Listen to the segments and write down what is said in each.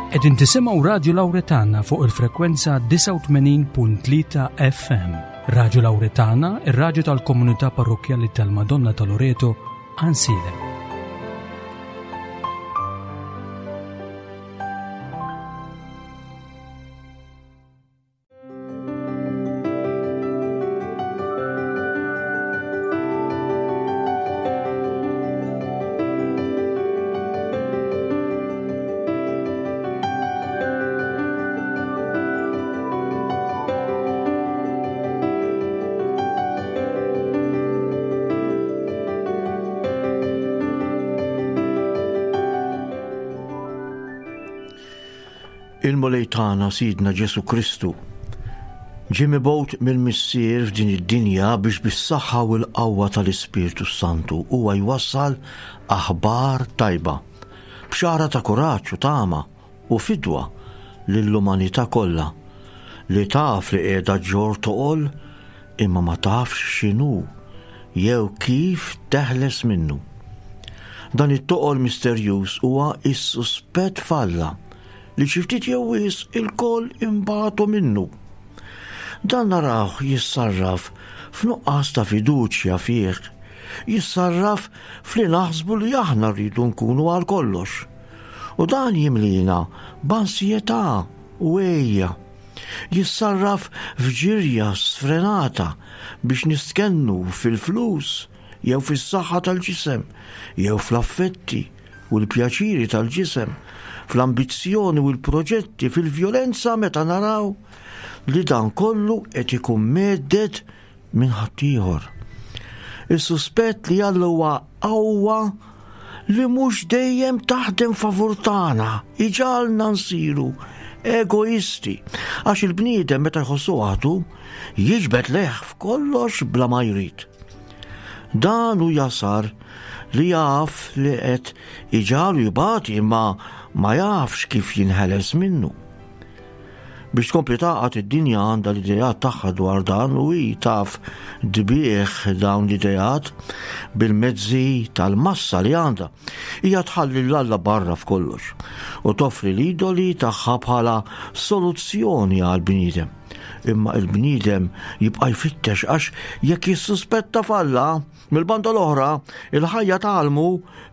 Qegħdin tisimgħu Radju Lawretana fuq il-frekwenza 89.3 FM. Radju Lawretana, ir-radju tal-komunità parrokkjali tal-Madonna ta' Loreto, Ansilem. Il-Mulej tagħna Sidna Ġesu Kristu ġie mibgħut mill-Missier f'din id-dinja biex bis-saħħa u l-qawwa tal-Ispirtu Santu huwa jwassal aħbar tajba, bxara ta' kuraġġ u tama u fidwa lill-umanità kollha li taf li qiegħda ġġorr toqol imma ma tafx x'inhu jew kif teħles minnu. Dan it-toqol misterjuż huwa s-suspett f'Alla li xi ftit jew wisq ilkoll inbatu minnu. Dan narawh jissarraf f'nuqqas ta' fiduċja fih, jissarraf f'li naħsbu li aħna rridu nkunu għal kollox. U dan jimlina b'ansjetà u għejja. Jissarraf f'ġirja sfrenata biex nistkennu fil-flus jew fis-saħħa tal-ġisem jew fl-affetti u l-pjaċiri tal-ġisem, fl-ambizzjoni u l-proġetti, fil-vjolenza meta naraw li dan kollu qed ikun mhedded minn ħaddieħor. Is-suspett li Alla huwa qawwa li mhux dejjem taħdem favur tagħna, iġagħalna nsiru egoisti, għax il-bniedem meta jħossu waħdu jiġbed lejh f'kollox bla ma jrid. Dan hu jasar li jaf li qed iġagħlu jbati imma ma jafx kif jinħeles minnu. Biex tkompli tagħqad id-dinja għandha l-ideat tagħha dwar dan u hi taf tbigħ dawn l-ideat bil-mezzi tal-massa li għandha. Hija tħalli 'l Alla barra f'kollox u toffri l-idoli tagħha bħala soluzzjoni għall-bniedem. Imma il-bniedem jibqa' jfittex għax jekk jissuspetta f'Alla, Mill-banda l-oħra, il-ħajja tgħallmu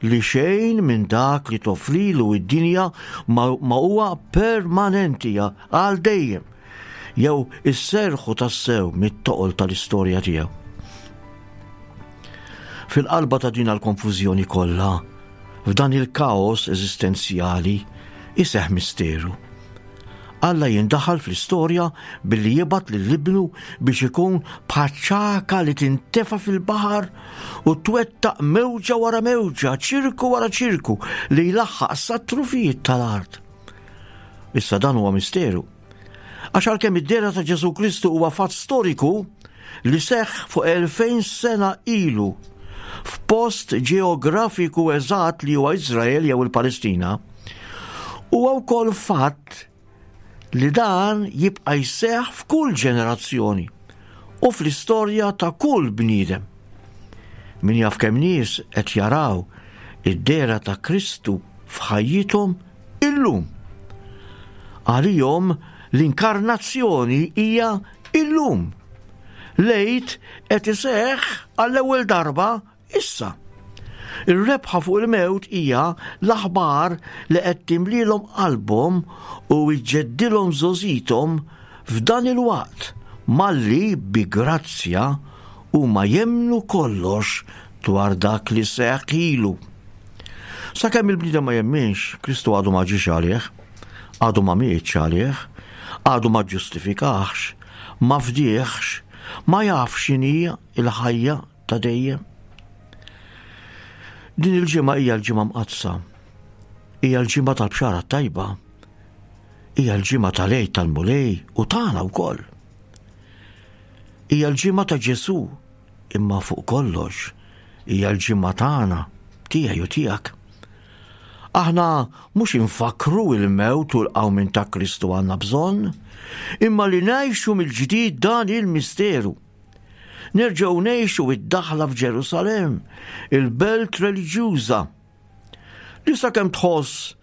li xejn minn dak li toffrilu id-dinja ma huwa permanenti għal dejjem, jew isserrħu tassew mit-toqol tal-istorja tiegħu. Fil-qalba ta' din l-konfużjoni kollha, f'dan il-kaos eżistenzjali, iseħħ misteru. Alla jindaħal fl-istorja billi jibgħat lil Ibnu biex ikun bħaċ-ċagħka li tintefa' fil-baħar u twettaq mewġa wara mewġa, ċirku wara ċirku li jlaħħaq sat-trufijiet tal-art. Issa dan huwa misteru. Għax għalkemm id-dehra ta' Ġesù Kristu huwa fatt storiku li seħħ fuq 2000 sena ilu f'post ġeografiku eżatt li huwa Iżrael jew il-Palestina, Huwa wkoll fatt li dan jibqa' jseħħ f'kull ġenerazzjoni u fl-istorja ta' kull bniedem. Min jaf kemm nies qed jaraw id-dehra ta' Kristu f'ħajjithom illum. Għalihom l-inkarnazzjoni hija illum. L-Għid qed iseħħ għall-ewwel darba Issa, ir-rebħa fuq il-mewt hija l-aħbar li qed timlielhom qalbhom u ġġeddilhom żgħożithom f'dan il-waqt malli bi grazzja huma jemmnu kollox dwar dak li seħħ ilu. Sakemm il-bniedem ma jemminx, Kristu għadu ma ġiex għalih, għadu ma mietx għalih, għadu ma ġġustifikahx, ma fdieħx, ma jafx x'inhi l-ħajja ta' dejjem. Din il-ġimgħa hija l-ġimgħa mqaddsa. Hija l-ġimgħa tal-bxara tajba. Hija l-ġimgħa tal-Għid tal-Mulej u tagħna wkoll. Hija l-ġimgħa ta' Ġesù, imma fuq kollox hija l-ġimgħa tagħna, tiegħi u tiegħek. Aħna mhux infakkru il-mewt u l-qawmien ta' Kristu għandna bżonn, imma li ngħixu mill-ġdid dan il-misteru. Nerġgħu ngħixu id-daħla f'Ġerusalemm, il-belt reliġjuża. Li sakemm tħoss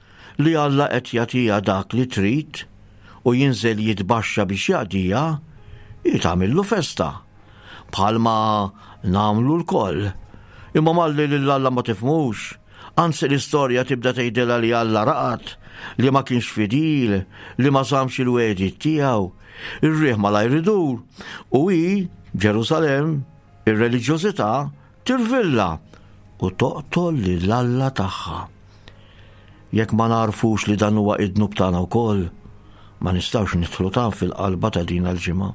li Alla qed jagħtiha dak li trid u jinżel jitbaxxa biex jaqdiha, hi tagħmillu festa. Bħalma nagħmlu lkoll. Imma malli lil Alla ma tifhmux, anzi l-istorja tibda tgħidilha li Alla raqad, li ma kienx fidil, li ma żammx il-wegħdiet tiegħu. Ir-riħ malajr idur u hi, Ġerusalemm, ir-reliġjożità, tirvilla u toqtol lil Alla tagħha. Jekk ma nagħrfux li dan huwa id-dnub tagħna wkoll, ma nistgħux nidħlu tan fil-qalba ta' din l-ġimgħa.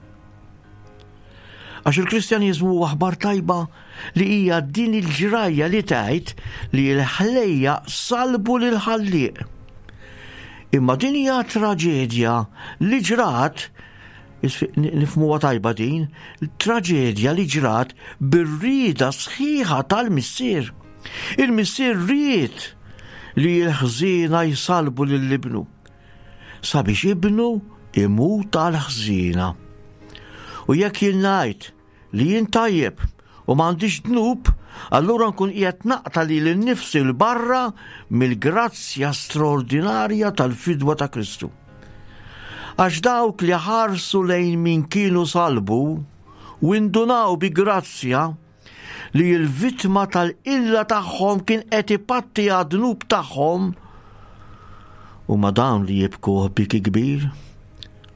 Għax il-Kristjaniżmu huwa aħbar tajba li hija din il-ġrajja li tgħid li l-ħlejja salbu lil ħallieq. Imma din hija traġedja li ġrat nifmuha tajba din, traġedja li ġrat bir-rieda sħiħa tal-missier. Il-missier ried li l-ħżiena jsalbu lil ibnu sabiex ibnu imut għal ħżiena. U jekk jien ngħid li jien tajjeb u m'għandix dnub, allura nkun qiegħed naqta' lili nnifsi 'l barra mill-grazzja straordinarja tal-fidwa ta' Kristu. Għax dawk li ħarsu lejn min kienu salbu u indunaw bi grazzja li l-vittma tal-qilla tagħhom kien qed ipatti għad-dnub tagħhom, huma dawn li jibkuh biki kbir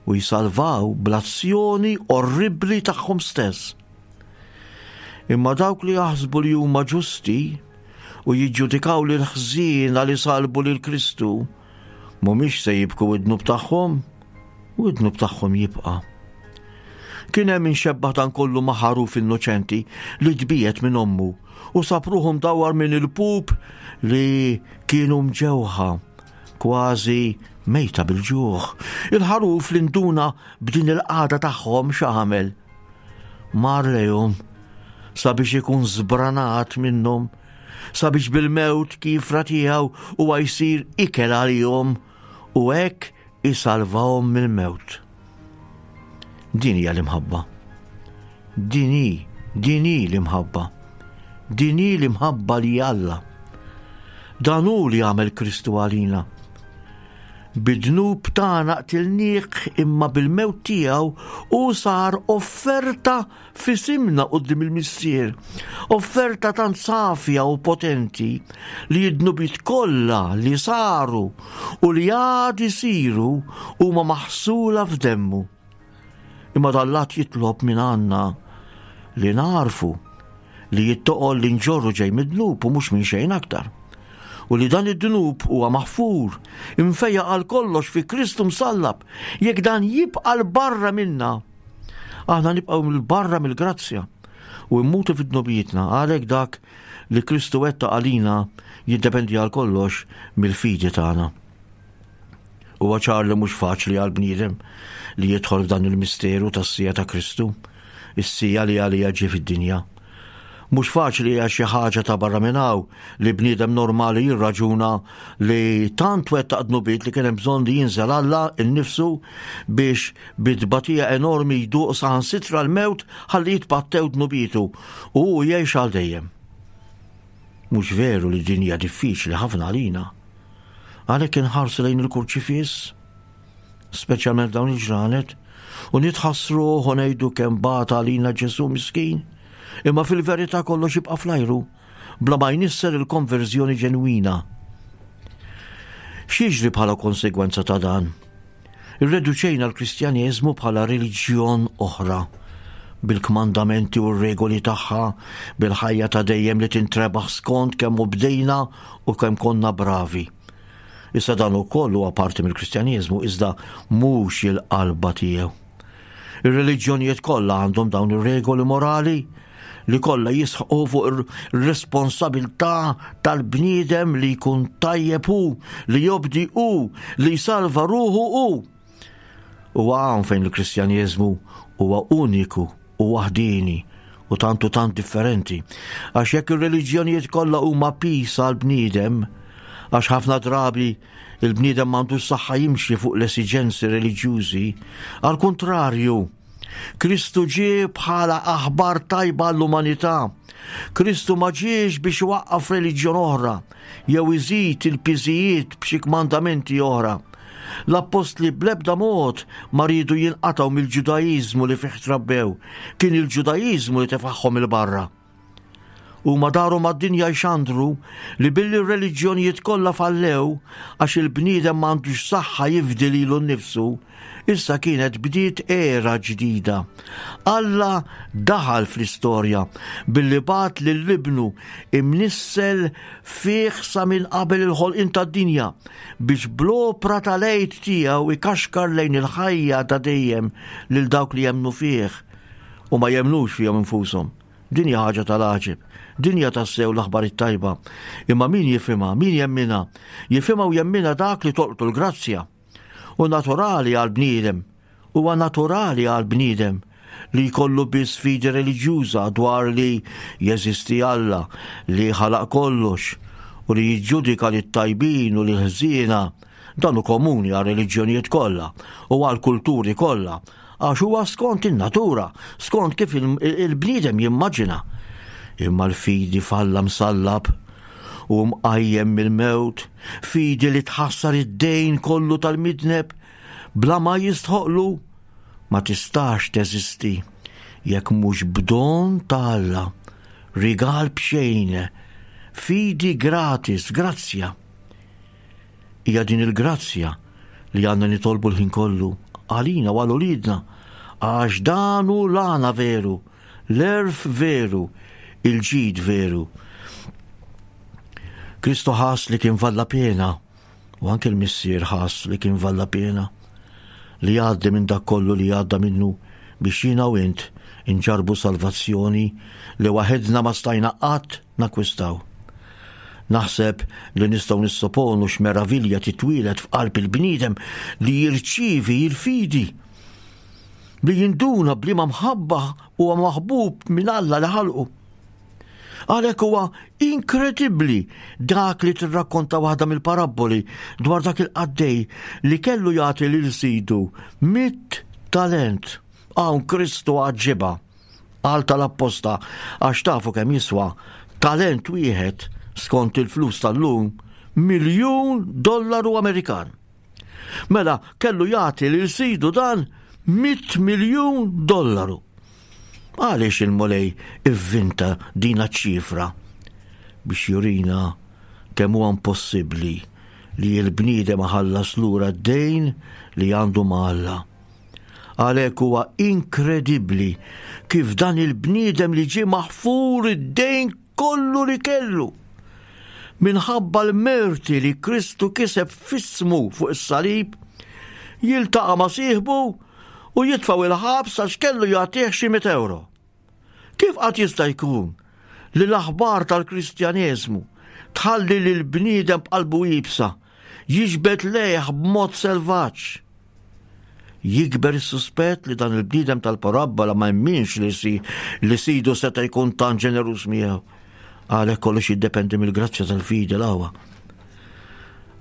u jsalvaw bl-azzjoni orribbli tagħhom stess. Imma dawk li jaħsbu li huma ġusti u jiġġudikaw lil ħżiena li salbu lil Kristu mhumiex se jibku id-dnub tagħhom u id-dnub tagħhom jibqa'. Kien hemm min xebbaħ dan kollu ma' ħaruf innoċenti li tbiegħed minn ommu u sab ruħu mdawwar minn il-pup li kienu mġewħa kważi mejta bil-ġuħ. Il-ħaruf li nduna b'din il-qagħda tagħhom x'għamel? Mar lejhom sabiex ikun żbranat minnhom, sabiex bil-mewt kifra tiegħu huwa jsir ikel għalihom u hekk isalvahom mill-mewt. Din hija l-imħabba. Din hi, din hi l-imħabba. Din hi l-imħabba li Alla. Dan hu li għamel Kristu għalina. Bid-dnub tagħna qtilnieh imma bil-mewt tiegħu hu sar offerta f'isimna quddiem il-Missier, offerta tant safja u potenti li d-dnubiet kollha li saru u li għad isiru huma maħsula f'demmu. Imma dan l-att jitlob minn għandna li nagħrfu li t-toqol li nġorru ġej mid-dnub u mhux minn xejn aktar. U li dan id-dnub huwa maħfur, imfejjaq għal kollox fi Kristu msallab, jekk dan jibqa' 'l barra minna, aħna nibqgħu 'l barra mill-grazzja u mmutu fi dnubietna, għalhekk dak li Kristu wettaq għalina jiddependi għal kollox mill-fidi tagħna. Huwa ċar li mhux faċli għal bniedem li jidħol f'dan il-misteru tas-sija ta' Kristu, is-sija li għalija ġie fid-dinja. Mhux faċli għax xi ħaġa ta' barra minn hawn li bniedem normali jirraġuna li tant wettaq dnubiet li kien hemm bżonn li jinżel Alla nnifsu biex bi tbatija enormi jduq saħansitra l-mewt ħalli jitpattew dnubietu u hu jgħix għal dejjem. Mhux veru li din hija diffiċli ħafna għalina. Għalhekk inħarsu lejn il-kurċifiss, speċjalment dawn il-ġranet, u nitħassruh u ngħidu kemm bata għalina Ġesù miskin. Imma fil-verità kollox jibqa' fl-ajru, bla ma jnisser il-konverżjoni ġenwina. X'jiġri bħala konsegwenza ta' dan? Irreduċejna l-Kristjaneżmu bħala reliġjon oħra, bil-kmandamenti u r-regoli tagħha, bil-ħajja ta' dejjem li tintrebaħ skont kemm obdejna u kemm konna bravi. Issa dan ukoll huwa parti mill-Kristjaneżmu iżda mhux il-qalba tiegħu. Ir-reliġjonijiet kollha għandhom dawn ir-regoli morali li kollha jisħqu fuq ir-responsabilità tal-bniedem li jkun tajjeb hu, li jobdi hu, li jsalva ruħu hu. U hawn fejn il-Kristjaneżmu huwa uniku u waħdieni u tant u tant differenti. Għax jekk ir-reliġjonijiet kollha huma piż għall-bniedem, għax ħafna drabi il-bniedem m'għandux saħħa jimxi fuq l-esiġenzi reliġjużi, għal kuntrarju, Kristu ġie bħala aħbar tajba għall-umanità. Kristu ma ġiex biex iwaqqaf reliġjon oħra jew iżid il-piżijiet b'xi kmandamenti oħra. L-appostli bl-ebda mod ma riedu jinqatgħu mill-Ġudaiżmu li fih trabbew, kien il-Ġudaiżmu li tefagħhom 'il barra. Huma daru mad-dinja jxandru li billi r-reliġjonijiet kollha fallew għax il-bniedem m'għandux saħħa jifdi lilu nnifsu, issa kienet bdiet era ġdida. Alla daħal fl-istorja billi bagħat lil Ibnu imnissel fih sa minn qabel il-ħolqien tad-dinja biex bl-opra tal-Għid tiegħu ikaxkar lejn il-ħajja ta' dejjem lil dawk li jemmnu fih u ma jemmnux fihom infushom. Din hija ħaġa tal-għaġeb. Din hija tassew l-aħbar it-tajba. Imma min jifhimha, min jemminha? Jifhimha u jemminha dak li tolqtu l-grazzja. U naturali għall-bniedem, huwa naturali għall-bniedem li jkollu biss fidi reliġjuża dwar li jeżisti Alla li ħalaq kollox u li jiġġudika lit-tajbin u lill-ħżiena. Dan hu komuni għar-reliġjonijiet kollha u għall-kulturi kollha Għax huwa skont in-natura, skont kif il-bniedem jimmaġina. Imma l-fidi f'Alla msallab u mqajjem mill-mewt, fidi li tħassar id-dejn kollu tal-midneb bla ma jistħoqlu, ma tistax teżisti jekk mhux b'don ta' Alla, rigal b'xejn, fidi gratis, grazzja. Hija din il-grazzja li għandna nitolbu l-ħin kollu għalina u għal uliedna, għax dan hu l-għana veru, l-għerf veru, il-ġid veru. Kristu ħass li kien valla pena, u anke l-Missier ħass li kien valla pena li jgħaddi minn dak kollu li għadda minnu biex jiena u int inġarbu salvazzjoni li waħedna ma stajna qatt nakkwistaw. Naħseb li nistgħu nissoponu x'meravilja titwieled f'qalb il-bniedem li jirċievi l-fidi, li jinduna b'liema mħabba huwa maħbub minn Alla li ħalqu. Għalhekk huwa inkredibbli dak li tirrakkonta waħda mill-parabboli dwar dak il-qaddej li kellu jagħti lil sidu mit talent. Hawn Kristu għaġġibha. Qal tal-apposta għax tafu kemm jiswa talent wieħed skont il-flus tal-lum miljun dollaru Amerikan. Mela kellu jagħti lil sidu dan 100 miljun dollaru. Għaliex il-Mulej ivvinta dina ċifra biex jurina kemm huwa impossibbli li l-bniedem iħallas lura d-dejn li għandu ma' Alla. Għalhekk huwa inkredibbli kif dan il-bniedem li ġie maħfur id-dejn kollu li kellu minħabba l-merti li Kristu kiseb f'ismu fuq is-salib, jiltaqa' ma' sieħbu u jitfgħu il-ħabs għax kellu jagħtih xi mit euro. Kif qatt jista' jkun li l-aħbar tal-Kristjaneżmu tħalli lil bniedem b'qalbu iebsa jiġbed lejh b'mod selvaġġ? Jikber is-suspett li dan il-bniedem tal-parabbola ma jemminx li si li sidu seta' jkun tant ġeneruż miegħu. Għalhekk kollox jiddependi mill-grazzja tal-fidi l-għawa.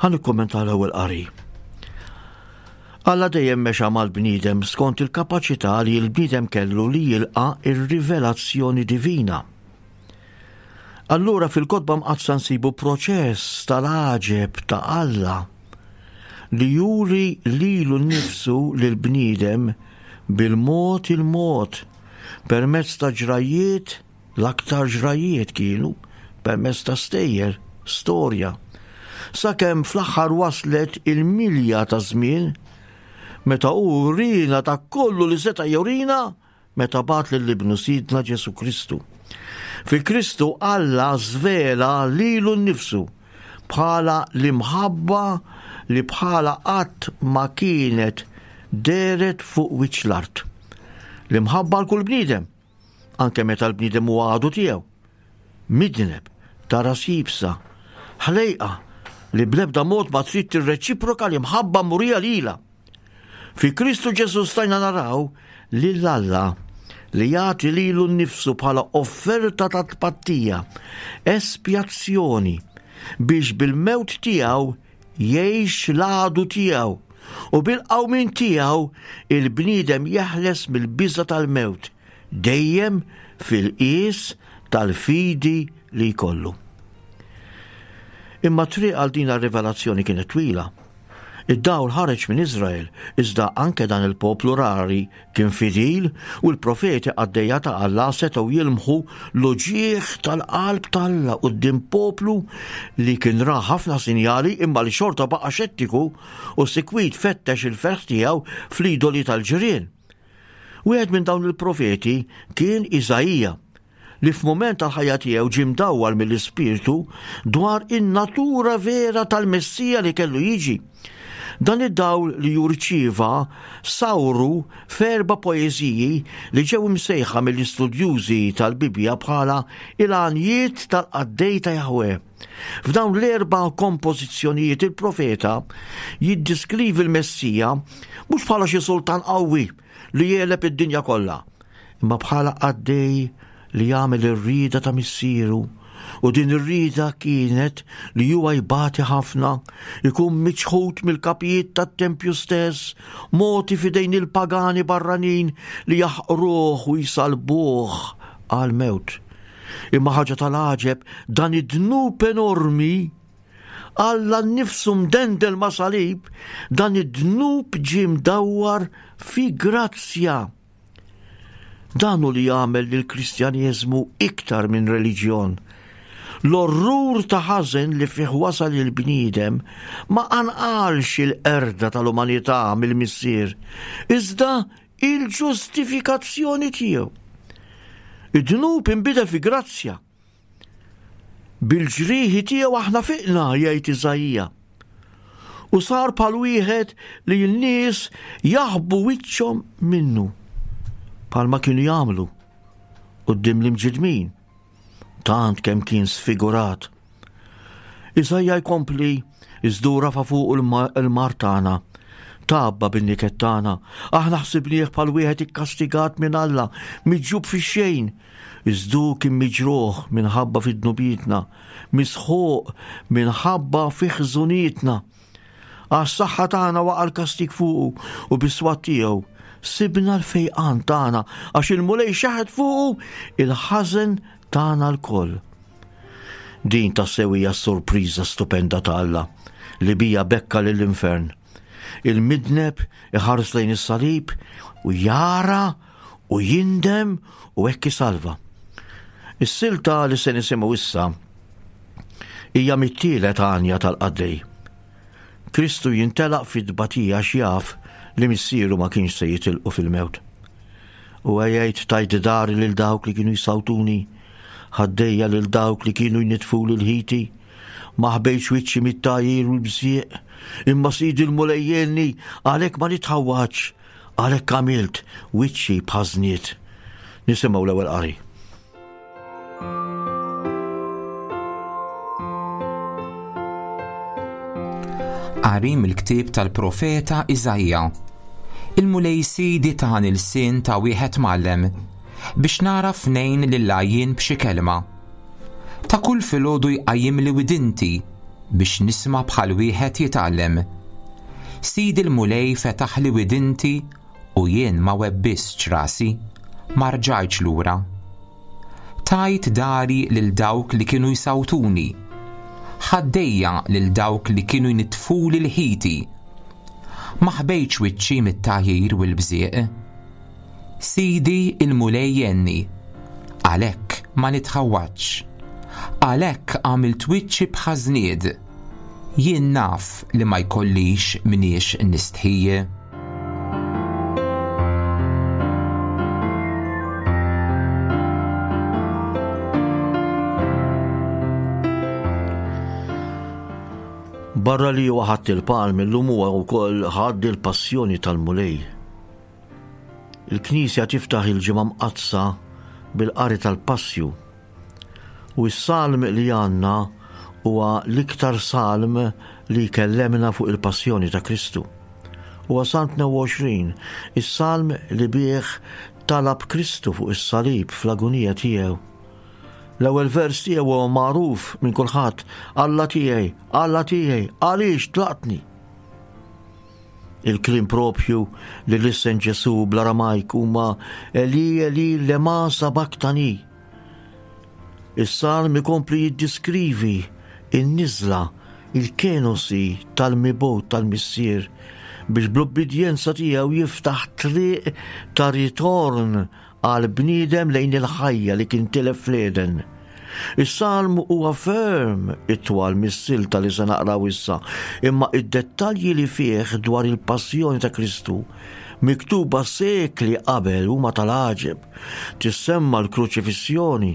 Ħa nikkummenta l-ewwel qari. Alla dejjem mexa mal-bniedem skont il-kapaċità li l-bniedem kellu li jilqa' ir-rivelazzjoni divina. Allura fil-Kotba Mqaddsa nsibu proċess tal-għaġeb ta' Alla li juri lilu nnifsu lill-bniedem bil-mod il-mod permezz ta' ġrajjiet, l-aktar ġrajjiet kienu permezz ta' stejjer, storja, sakemm fl-aħħar waslet il-milja ta' żmien meta hu wriena dak kollu li seta' jurina meta bagħat lil Ibnu Sidna Ġesù Kristu. Fi Kristu Alla żvela lilu nnifsu bħala l-imħabba li bħala qatt ma kienet dehret fuq wiċċ l-art. L-imħabba għal kull bniedem, anke meta l-bniedem huwa għadu tiegħu. Midneb, ta' ras iebsa, ħlejqa li bl-ebda mod ma trid tirreċiproka l-imħabba murija lilha. Fi Kristu Ġesù stajna naraw lil Alla li jagħti lilu nnifsu bħala offerta ta' tpattija, espjazzjoni, biex bil-mewt tiegħu jgħix l-għadu tiegħu u bil-qawmien tiegħu il-bniedem jeħles mill-biża' tal-mewt, dejjem fil-qies tal-fidi li jkollu. Imma triq għal din rivelazzjoni kienet twila. Id-dawl ħareġ minn Iżrael, iżda anke dan il-poplu rari kien fidil u l-profeti qaddejja ta' Alla setgħu jilmħu l-uġigħ tal-qalb t'Alla quddiem poplu li kien ra ħafna sinjali imma li xorta baqa' xettiku u sikwit fettex il-ferħ tiegħu fl-idoli tal-ġirien. Wieħed minn dawn il-profeti kien Iżaija, li f'mument tal-ħajja tiegħu ġie mdawwal mill-Ispirtu dwar in-natura vera tal-Messija li kellu jiġi. Dan id-dawl li hu rċieva sawru f'erba' poeżiji li ġew imsejħa mill-istudjużi tal-Bibbja bħala il-għanjiet tal-qaddej ta' Jahweh. F'dawn l-erba' kompożizzjonijiet il-profeta jiddiskrivi l-Messija mhux bħala xi sultan qawwi li jegħleb id-dinja kollha, imma bħala qaddej li jagħmel ir-rieda ta' missieru u din ir-rieda kienet li huwa jbati ħafna, ikun miċħud mill-kapijiet tat-tempju stess, mogħti f'idejn il-pagani barranin li jaħqruh u jsalbuh għall-mewt. Imma ħaġa tal-għaġeb, dan id-dnub enormi Alla nnifsu mdendel ma' salib, dan id-dnub ġie mdawwar fi grazzja. Dan hu li jagħmel lill-Kristjaneżmu iktar minn reliġjon. L-orrur ta' ħażen li fih wasal il-bniedem ma qanqalx il-qerda tal-umanità mill-Missier, iżda il-ġustifikazzjoni tiegħu. Id-dnub inbidel fi grazzja. Bil-ġrieħi tiegħu aħna fiqna, jgħid Iżaija. U sar bħal wieħed li n-nies jaħbu wiċċhom minnu, bħalma kienu jagħmlu quddiem l-imġidmin, tant kemm kien sfigurat. Iżaija jkompli iżdu rafa fuq il-mar tagħna, tgħabba bin-niket tagħna, aħna ħsibnieh bħal wieħed ikkastigat minn Alla, miġjub fix-xejn, Iżda hu kien miġruħ minħabba fi dnubietna, misħuq minħabba fi ħżunietna. Għas-saħħa tagħna waqa' l-kastig fuqu u bis-swat tiegħu sibna l-fejqan tagħna għax il-Mulej xeħet fuqu il-ħażen tagħna lkoll. Din tassew hija s-sorpriża stupenda ta' Alla li bija bekka lill-infern. Il-midneb iħares lejn is-salib u jara u jindem u hekk isalva. Is-silta li se nisimgħu issa hija mit-tielet għanja tal-qaddej. Kristu jintelaq fit-tbatija x'jaf li missieru ma kienx se jitilqu fil-mewt. U jgħid tajt dari lil dawk li kienu jsawtuni, ħaddejja lil dawk li kienu jnitfu lil ħiti, ma ħbejtx wiċċi mit-tagħjir u l-bżieq, imma sidi l-Mulej jgħinni għalhekk ma nitħawwadx Għalhekk għamilt wiċċi bħażniet. Nisimgħu l-ewwel qari. Qari mill-ktieb tal-profeta Iżaija. Il-Mulej Sidi tani lsien ta' wieħed mgħallem biex nagħraf ngħin lill-għajjien b'xi kelma. Ta' kull filgħodu jqajjimli widinti biex nisma' bħal wieħed jitgħallem. Sidi l-Mulej fetaħli widinti u jien ma webbistx rasi, ma rġajtx lura. Tajt dari lil dawk li kienu jsawtuni, ħaddejja lil dawk li kienu jnittfuli l-ħiti. Ma ħbejtx wiċċi mit-tagħjir u l-bżieq. Sidi il-Mulej jgħinni, għalhekk ma nitħawwadx. Għalhekk għamilt wiċċi bħaż-żnied. Jien naf li ma jkollix mniex nistħi. Barra li huwa ħadd il-palm illum huwa wkoll ħadd il-passjoni tal-Mulej. Il-Knisja tiftaħ il-Ġimgħa Mqaddsa bil-qari tal-Passju. U s-salm li għandna huwa l-iktar salm li jkellemna fuq il-passjoni ta' Kristu. Huwa Salm 22, is-salm li bih talab Kristu fuq is-salib fl-agunija tiegħu. L-ewwel vers tiegħu huwa magħruf minn kulħadd, Alla tiegħi, Alla tiegħi, għaliex tlaqtni? Il-kliem propju li lissen Ġesù bl-Aramajk huma Eli Eli lema sabaktani. Is-salm ikompli jiddiskrivi n-niżla, il-kenosi tal-mibgħut tal-Missier biex bl-ubbidjenza tiegħu jiftaħ triq ta' ritorn għall-bniedem lejn il-ħajja li kien tilef fl-Eden. Is-salm huwa ferm itwal mis-silta li se naqraw issa, imma id-dettalji li fih dwar il-passjoni ta' Kristu miktuba sekli qabel huma tal-għaġeb. Tissemma l-kruċifissjoni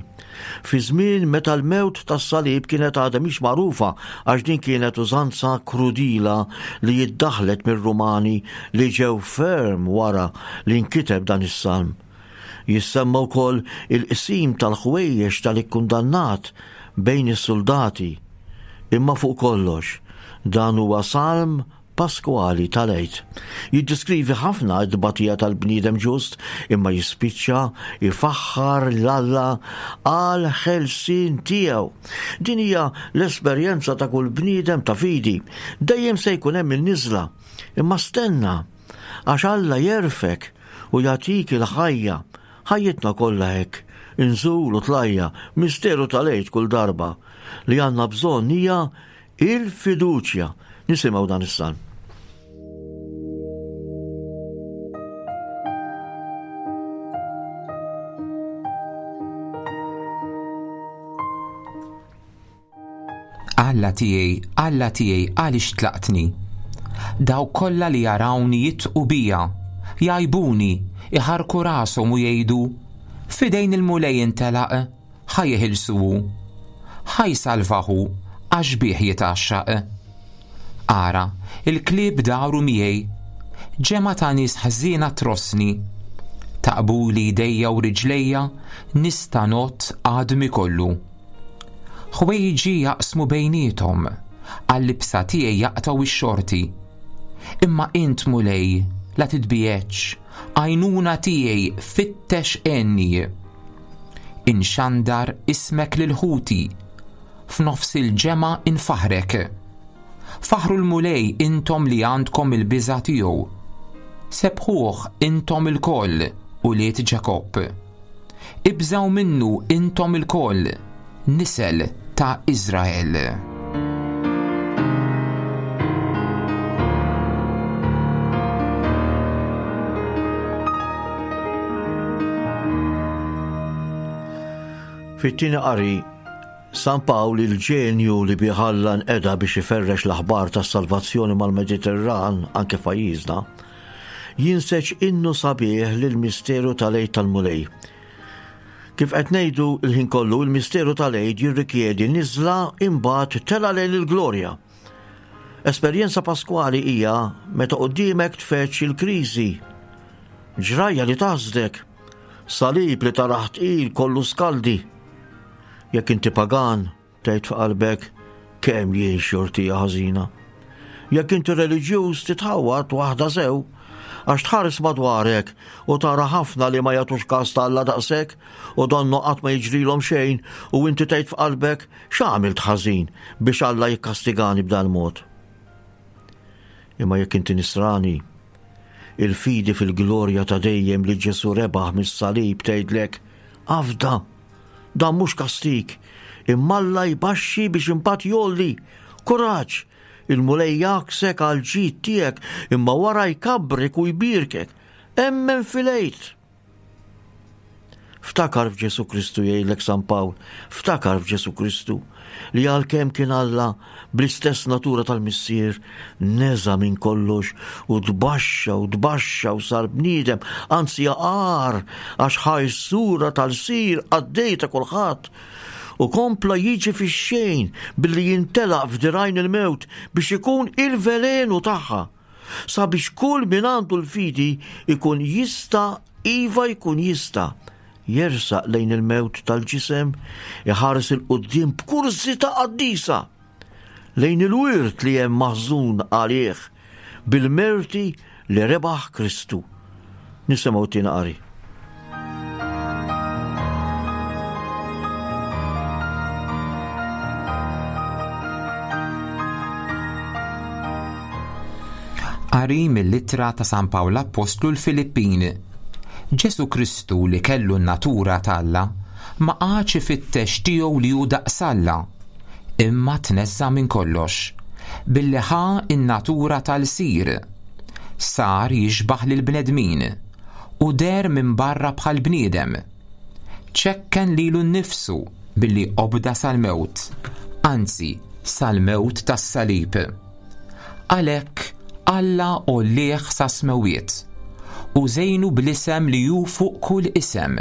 fi żmien meta l-mewt tas-salib kienet għadha mhix magħrufa għax din kienet użanza krudila li jiddaħlet mir-Rumani li ġew ferm wara li nkiteb dan is-salm. Jissemma wkoll il-qsim tal-ħwejjeġ tal-ikkundannat bejn is-suldati. Imma fuq kollox, dan huwa salm Paskwali tal-Għid. Jiddeskrivi ħafna t-tbatija tal-bniedem ġust imma jispiċċa jfaħħar 'l Alla għall-ħelsien tiegħu. Din hija l-esperjenza ta' kull bniedem ta' fidi. Dejjem se jkun hemm in-niżla. Imma stenna, għax Alla jerfgħek u jagħtik il-ħajja. Ħajjitna kollha hekk, inżul u tlajja, misteru tal-Għid kull darba. Li għandna bżonn hija Il-fiduċja. Nisimgħu dan is-salm. Alla tiegħi, Alla tiegħi, għaliex tlaqtni? Dawk kollha li jarawni jitqu bija, jgħajbuni, iħarku rashom u jgħidu, F'idejn il-Mulej intelaq, Ħa jeħilsu hu. Ħa jsalvah hu, għax bih jitgħaxxaq. Ara, il-klieb daru miegħi. Ġemgħa ta' nies ħżiena trossni. Taqbuli jdejja u riġlejja, nista' ngħodd għadmi kollu. Ħwejġi jaqsmu bejniethom, għal-libsa tiegħi jaqtgħu x-xorti. Imma int, Mulej, la titbiegħedx, għajnuna tiegħi fittex għenni. Inxandar ismek lil ħuti, f'nofs il-ġemgħa infaħħrek. Faħħru l-Mulej intom li għandkom il-biża' tiegħu. Sebbħuh intom ilkoll, ulied Ġakobb. Ibżgħu minnu intom ilkoll, nisel ta' Iżrael. Fit-tieni qari, San Pawl il-ġenju li bih Alla nqeda biex iferrex l-aħbar tas-salvazzjoni mal-Mediterran anke f'pajjiżna, jinseġ innu sabiħ lill-misteru tal-Għid tal-Mulej. Kif qed ngħidu l-ħin kollu, il-misteru tal-Għid jirrikjedi niżla imbagħad tela' lejn il-glorja. Esperjenza paskwali hija meta quddiemek tfeċ il-kriżi. Ġrajja li taħsdek, salib li taraħ tqil kollu skaldi. Jekk inti pagan, Tgħid f'qalbek kemm jien xortija ħażina. Jekk inti reliġjuż titħawwad waħda sew, għax tħares madwarek u tara ħafna li ma jagħtux każ ta' Alla daqshekk u donnu qatt ma jiġrilhom xejn u inti tgħid f'qalbek x'għamilt ħażin biex Alla jikkastigani b'dan mod. Imma jekk inti nisrani, il-fidi fil-glorja ta' dejjem li Ġesu rebaħ mis-salib tgħidlek afda Dan mhux kastig, imma Alla jbaxxi biex imbagħad jgħolli. Kuraġġ! Il-Mulej jgħaksek għall-ġid tiegħek, imma wara jkabbrek u jbierkek. Emmen fil-Għid! Ftakar f'Ġesù Kristu jgħidlek San Pawl, ftakar f'Ġesù Kristu li għalkemm kien Alla bl-istess natura tal-Missier, neża' minn kollox u tbaxxa u tbaxxa u sar bniedem, anzi agħar għax ħa s-sura tal-sir qaddej ta' kulħadd u kompla jiġi fix-xejn billi jintelaq f'dirgħajn il-mewt biex ikun il-velenu tagħha, sabiex kull min għandu l-fidi jkun jista' iva jkun jista' jersaq lejn il-mewt tal-ġisem, iħares 'il quddiem b'kurżità qaddisa lejn il-wirt li hemm maħżun għalih bil-merti li rebaħ Kristu. Nisimgħu t-tieni qari. Qari mill-Ittra ta' San Pawl Appostlu l-Filippin. Ġesù Kristu li kellu n-natura ta' Alla, Ma qagħadx ifittex tiegħu li hu daqs Alla, imma tneżża' minn kollox, billi ħa n-natura ta' lsir. Sar jixbah lill-bnedmin, u deher minn barra bħal bniedem. Ċekken lilu nnifsu billi obda sal-mewt, anzi sal-mewt tas-salib. Għalhekk Alla għollieh sas-smewwiet, u żejnu bl-isem li hu fuq kull isem,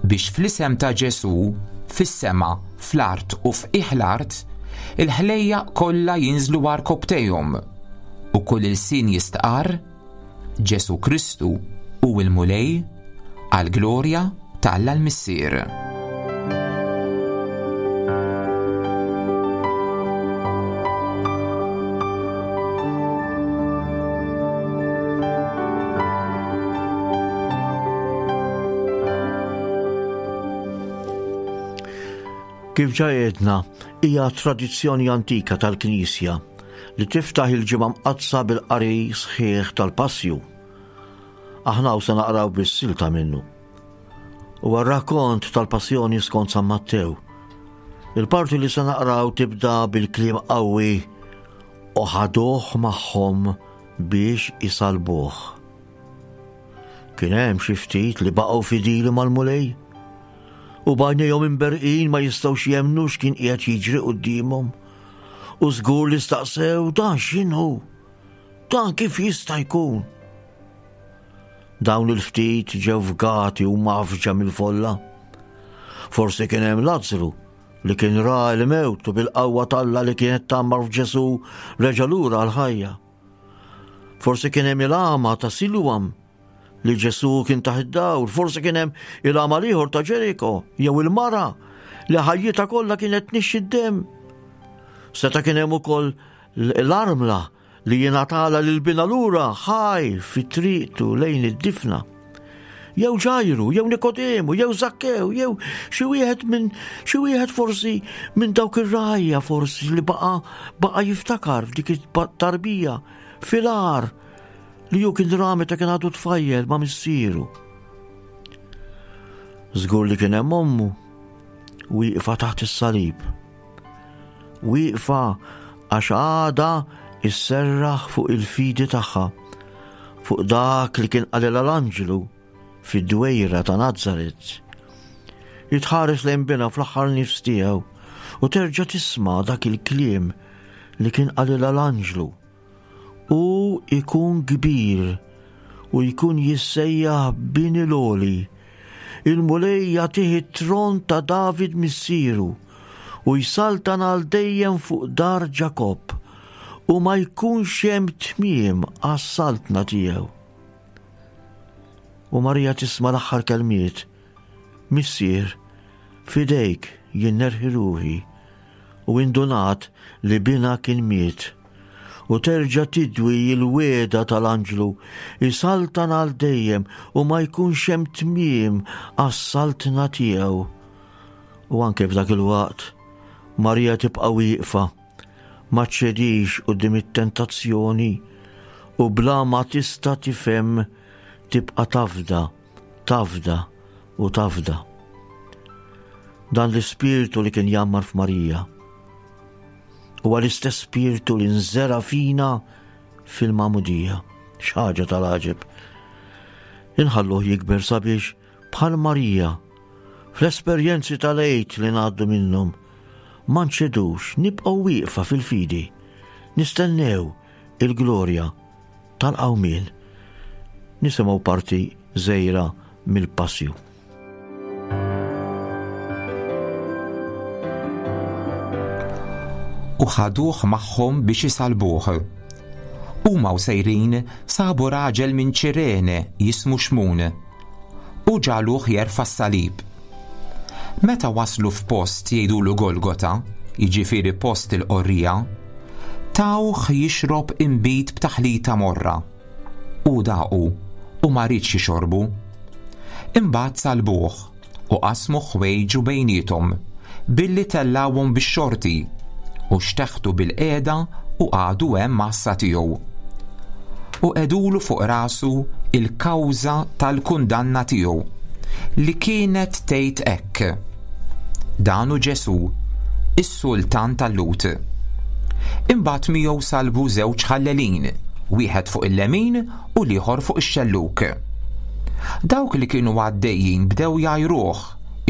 biex fl-isem ta' Ġesù, fis-sema, fl-art u f'qiegħ l-art, il-ħlejjaq kollha jinżlu għarkopptejhom, u kull ilsien jistqarr, Ġesù Kristu hu l-Mulej, għall-glorja ta' Alla l-Missier. Kif ġa għedna, hija tradizzjoni antika tal-Knisja li tiftaħ il-Ġimgħa Mqaddsa bil-qari sħiħ tal-Passju. Aħna hawn se naqraw biss silta minnu. Huwa r-rakkont tal-Passjoni skont San Mattew. Il-parti li se naqraw tibda bil-kliem qawwi u ħaduh magħhom biex isalbuh. Kien hemm xi ftit li baqgħu fidili mal-Mulej u b'għajnejhom imberqin ma jistgħux jemmnu x'kien qiegħed jiġri quddiemhom. U żgur li staqsew dan x'inhu? Dan kif jista' jkun? Dawn il-ftit ġew fgati u mafġa mill-folla. Forsi kien hemm Lazzru li kien ra l-mewt u bil-qawwa t'Alla li kienet tgħammar f'Ġesù reġa' lura għall-ħajja. Forsi kien hemm il-għama ta' Siluam li Ġesù kien taħt id-dawl, forsi kien hemm il-għama l-ieħor ta' Ġeriko jew il-mara li ħajjitha kollha kienet tnixxi d-demm. Seta' kien hemm ukoll l-armla li jingħatala lil binha lura ħaj fi triqtu lejn id-difna. Jew Ġajru, jew Nikodemu, jew Zakkew, jew xi wieħed minn xi wieħed forsi minn dawk ir-rajja forsi li baqa' baqa' jiftakar f'dik it-tarbija fil-għar li hu kien ra meta kien għadu tfajjel ma' missieru. Żgur li kien hemm ommu wieqfa taħt is-salib. Wieqfa għax għadha isserraħ fuq il-fidi tagħha, fuq dak li kien qalilha l-anġlu fid-dwejra ta' Nazaret. Jitħares lejn binha fl-aħħar nifs tiegħu u terġa' tisma' dak il-kliem li kien qalilha l-anġlu. Hu jkun kbir u jkun jissejjaħ Bin il-Għoli. Il-Mulej jagħtih it-tron ta' David missieru u jsaltan għal dejjem fuq dar Ġakobb u ma jkunx hemm tmiem għas-saltna tiegħu. U Marija tisma' l-aħħar kelmiet, Missier, f'idejk jien nerħi ruħi, u indunat li binha kien miet. U terġa' tidwi l-wegħda tal-anġlu, isaltan għal dejjem u ma jkunx hemm tmiem għas-saltna tiegħu. U anke f'dak il-waqt, Marija tibqa' wieqfa, ma ċċedix quddiem it-tentazzjoni u bla ma tista' tifhem tibqa' tafda, tafda u tafda. Dan l-ispirtu li kien jgħammar f'Marija huwa l-istess spirtu li nżera fina fil-magħmudija. X'ħaġa tal-għaġeb. Inħalluh jikber sabiex bħal Marija fl-esperjenzi tal-Għid li ngħaddu minnhom ma nċedux, nibqgħu wieqfa fil-fidi, nistennew il-glorja tal-qawmien. Nisimgħu parti żgħira mill-Passju. U ħaduh magħhom biex isalbuh. Huma u sejrin sabu raġel minn Ċirene jismu Xmun, u ġagħluh jerfa' s-salib. Meta waslu f'post jgħidulu Golgota, jiġifieri post il-qorrija, tawh jixrob inbid b'taħlita morra. Hu daqu u ma riedx jixorbu. Imbagħad salbuh u qasmu ħwejġu bejniethom billi tellgħuhom bix-xorti u xteħtu bilqiegħda u qagħdu hemm għassa tiegħu. U qegħdulu fuq rasu l-kawża tal-kundanna tiegħu. li kienet tgħid hekk, Dan hu Ġesù, is-sultan tal-Lhud. Imbagħad miegħu salbu żewġ ħallelin, wieħed fuq il-lemin u l-ieħor fuq ix-xellug. Dawk li kienu għaddejjin bdew jgħajruh,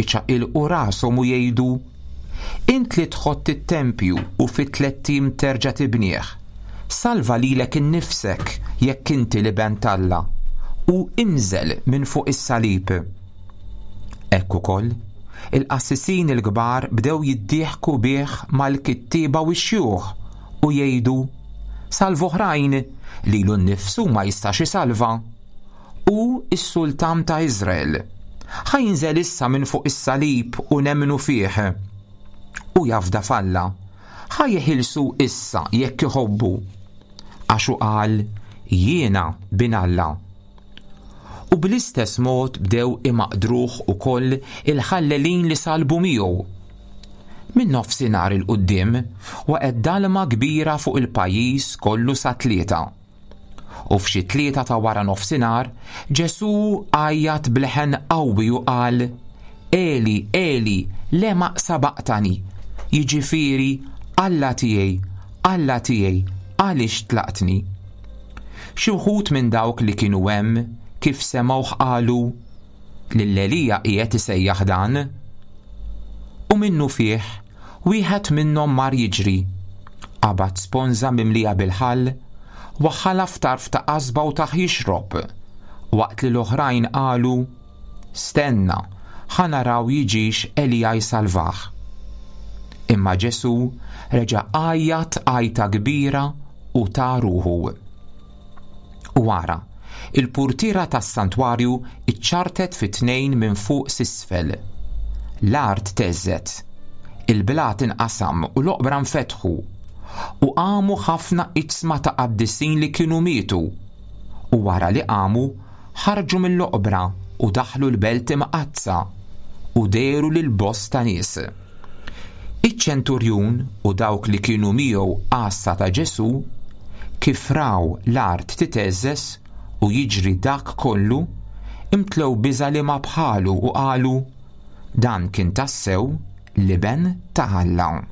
iċaqilqu rashom u jgħidu, Int li tħott it-tempju u fi tlett ijiem terġa' tibnih, salva lilek innifsek jekk inti l-Iben t'Alla, u inżel minn fuq is-salib. Hekk ukoll, il-qassisin il-kbar bdew jiddieħku bih mal-kittieba u x-xjuħ u jgħidu, Salva oħrajn, lilu nnifsu ma jistax isalva. Hu s-sultan ta' Iżrael. Ħa jinżel issa minn fuq is-salib u nemmnu fih. Hu jafda f'Alla. Ħa jeħilsu issa jekk iħobbu. Għax hu qal, Jiena bin Alla. U bl-istess mod bdew imaqdruh ukoll il-ħallelin li salbu miegħu. Minn nofsinhar 'il quddiem waqgħet dalma kbira fuq il-pajjiż kollu sat-tlieta. U f'xi tlieta ta' wara nofsinhar, Ġesù għajjat b'leħen qawwi u qal, Eli, Eli, lema sabaqtani? Jiġifieri, Alla tiegħi, Alla tiegħi, għaliex tlaqtni? Xi wħud minn dawk li kienu hemm, kif semgħuh qalu, Lil Elija qiegħed isejjaħ dan. U minnufih, wieħed minnhom mar jiġri, qabad sponża mimlija bil-ħall, waħħalha f'tarf ta' qasba u tah jixrob, waqt li l-oħrajn qalu, Stenna, ħa naraw jiġix Elija jsalvah. Imma Ġesù reġa' għajjat għajta kbira u ta ruħu. U ara, il-purtiera tas-santwarju ċċartet fi tnejn minn fuq s'isfel. L-art theżżet, il-blat inqasam u l-oqbra nfetħu, u qamu ħafna iġsma ta' qaddisin li kienu mietu, u wara li qamu, ħarġu mill-oqbra u daħlu l-belt imqaddsa u dehru lil bosta nies. Iċ-ċenturjun u dawk li kienu miegħu għassa ta' Ġesù, kif raw l-art titheżżeż u jiġri dak kollu, imtlew biża' liema bħalu u qalu, Dan kien tassew l-Iben ta' Alla.